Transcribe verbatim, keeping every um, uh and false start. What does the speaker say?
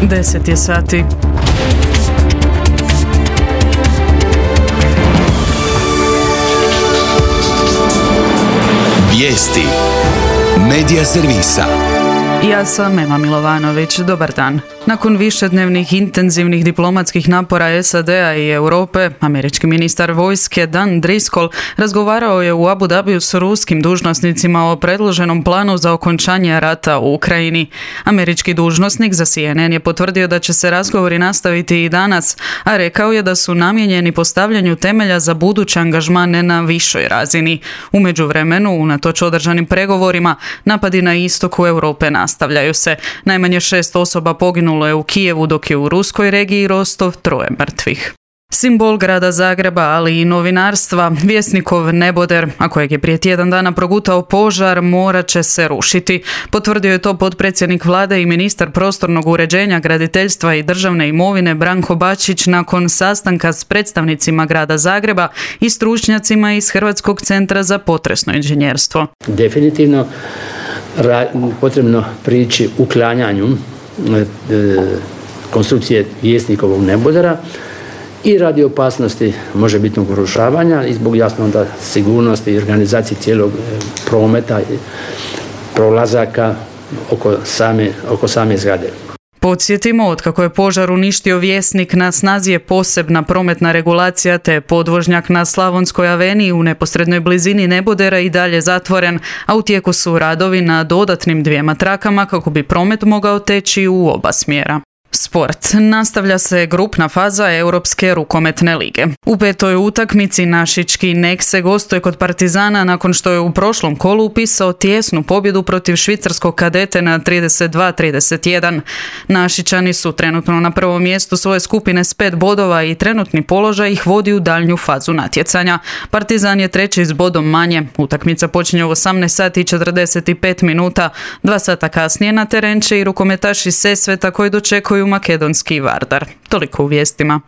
deset je sati. Vijesti Medija servisa. Ja sam Ema Milovanović. Dobar dan. Nakon višednevnih intenzivnih diplomatskih napora S A D-a i Europe, američki ministar vojske Dan Driscoll razgovarao je u Abu Dhabiju s ruskim dužnosnicima o predloženom planu za okončanje rata u Ukrajini. Američki dužnosnik za C N N je potvrdio da će se razgovori nastaviti i danas, a rekao je da su namijenjeni postavljanju temelja za budući angažman na višoj razini. U međuvremenu, unatoč održanim pregovorima, napadi na istoku Europe nastavljaju se. Najmanje šest osoba poginulo je u Kijevu, dok je u ruskoj regiji Rostov troje mrtvih. Simbol grada Zagreba, ali i novinarstva, Vjesnikov neboder, a kojeg je prije tjedan dana progutao požar, morat će se rušiti. Potvrdio je to potpredsjednik vlade i ministar prostornog uređenja, graditeljstva i državne imovine Branko Bačić nakon sastanka s predstavnicima grada Zagreba i stručnjacima iz Hrvatskog centra za potresno inženjerstvo. Definitivno potrebno prići uklanjanju konstrukcije Vjesnikovog nebodera i radi opasnosti možebitnog urušavanja i zbog jasno onda sigurnosti i organizacije cijelog prometa i prolazaka oko same, oko same zgrade. Podsjetimo, otkako je požar uništio Vjesnik, na snazi je posebna prometna regulacija te podvožnjak na Slavonskoj aveniji u neposrednoj blizini nebodera i dalje zatvoren, a u tijeku su radovi na dodatnim dvijema trakama kako bi promet mogao teći u oba smjera. Sport. Nastavlja se grupna faza Europske rukometne lige. U petoj utakmici našički Nekse gostuje kod Partizana nakon što je u prošlom kolu upisao tijesnu pobjedu protiv švicarskog Kadete na trideset dva trideset jedan. Našičani su trenutno na prvom mjestu svoje skupine s pet bodova i trenutni položaj ih vodi u daljnju fazu natjecanja. Partizan je treći s bodom manje. Utakmica počinje u osamnaest sati i četrdeset pet minuta. Dva sata kasnije na teren će i rukometaši Sesveta koji dočekuju makedonski Vardar. Toliko u vijestima.